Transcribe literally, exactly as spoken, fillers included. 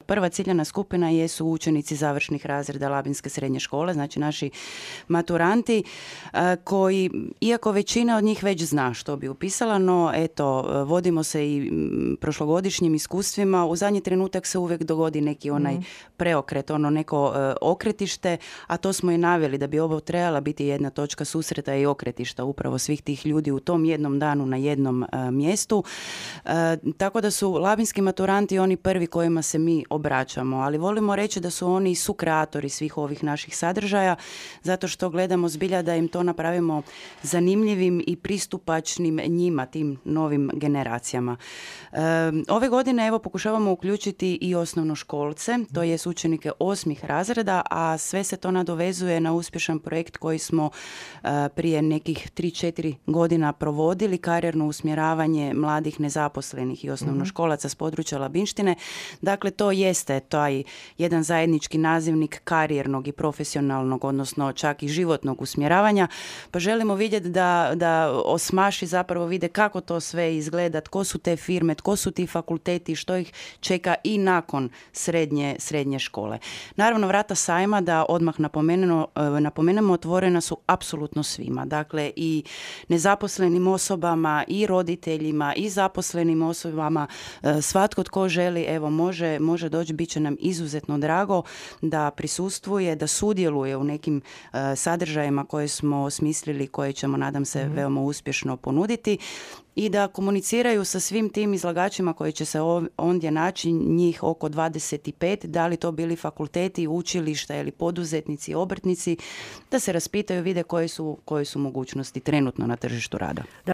prva ciljana skupina jesu učenici završnih razreda Labinske srednje škole, znači naši maturanti koji, iako većina od njih već zna što bi upisala, no eto, vodimo se i prošlogodišnjim iskustvima, u zadnji trenutak se uvijek dogodi neki onaj mm. preokret, ono neko okretište, a to smo i naveli da bi ovo trebala biti jedna točka susreta i okretišta upravo svih tih ljudi u tom jednom danu na jednom uh, mjestu. Uh, tako da su labinski maturanti oni prvi kojima se mi obraćamo, ali volimo reći da su oni sukreatori svih ovih naših sadržaja, zato što gledamo zbilja da im to napravimo zanimljivim i pristupačnim njima, tim novim generacijama. Uh, ove godine evo pokušavamo uključiti i osnovnoškolce, to je učenike osmih razreda, a sve se to nadovezuje na uspješan projekt koji smo uh, prije nekih tri četiri godina provodili, karijerno usmjeravanje mladih nezaposlenih i osnovnoškolaca s područja Labinštine. Dakle, to jeste taj jedan zajednički nazivnik karijernog i profesionalnog, odnosno čak i životnog usmjeravanja, pa želimo vidjeti da, da osmaši zapravo vide kako to sve izgleda, tko su te firme, tko su ti fakulteti, što ih čeka i nakon srednje, srednje škole. Naravno, vrata sajma, da odmah napomenemo, napomenemo, otvorena su apsolutno svima. Dakle, i nezaposlenim osobama, i roditeljima, i zaposlenim osobama, svatko tko želi, evo, može, može doći, bit će nam izuzetno drago da prisustvuje, da sudjeluje u nekim uh, sadržajima koje smo osmislili, koje ćemo, nadam se, mm-hmm. veoma uspješno ponuditi, i da komuniciraju sa svim tim izlagačima koji će se ondje naći, njih oko dvadeset pet, da li to bili fakulteti, učilišta ili poduzetnici, obrtnici, da se raspitaju, vide koje su, koje su mogućnosti trenutno na tržištu rada.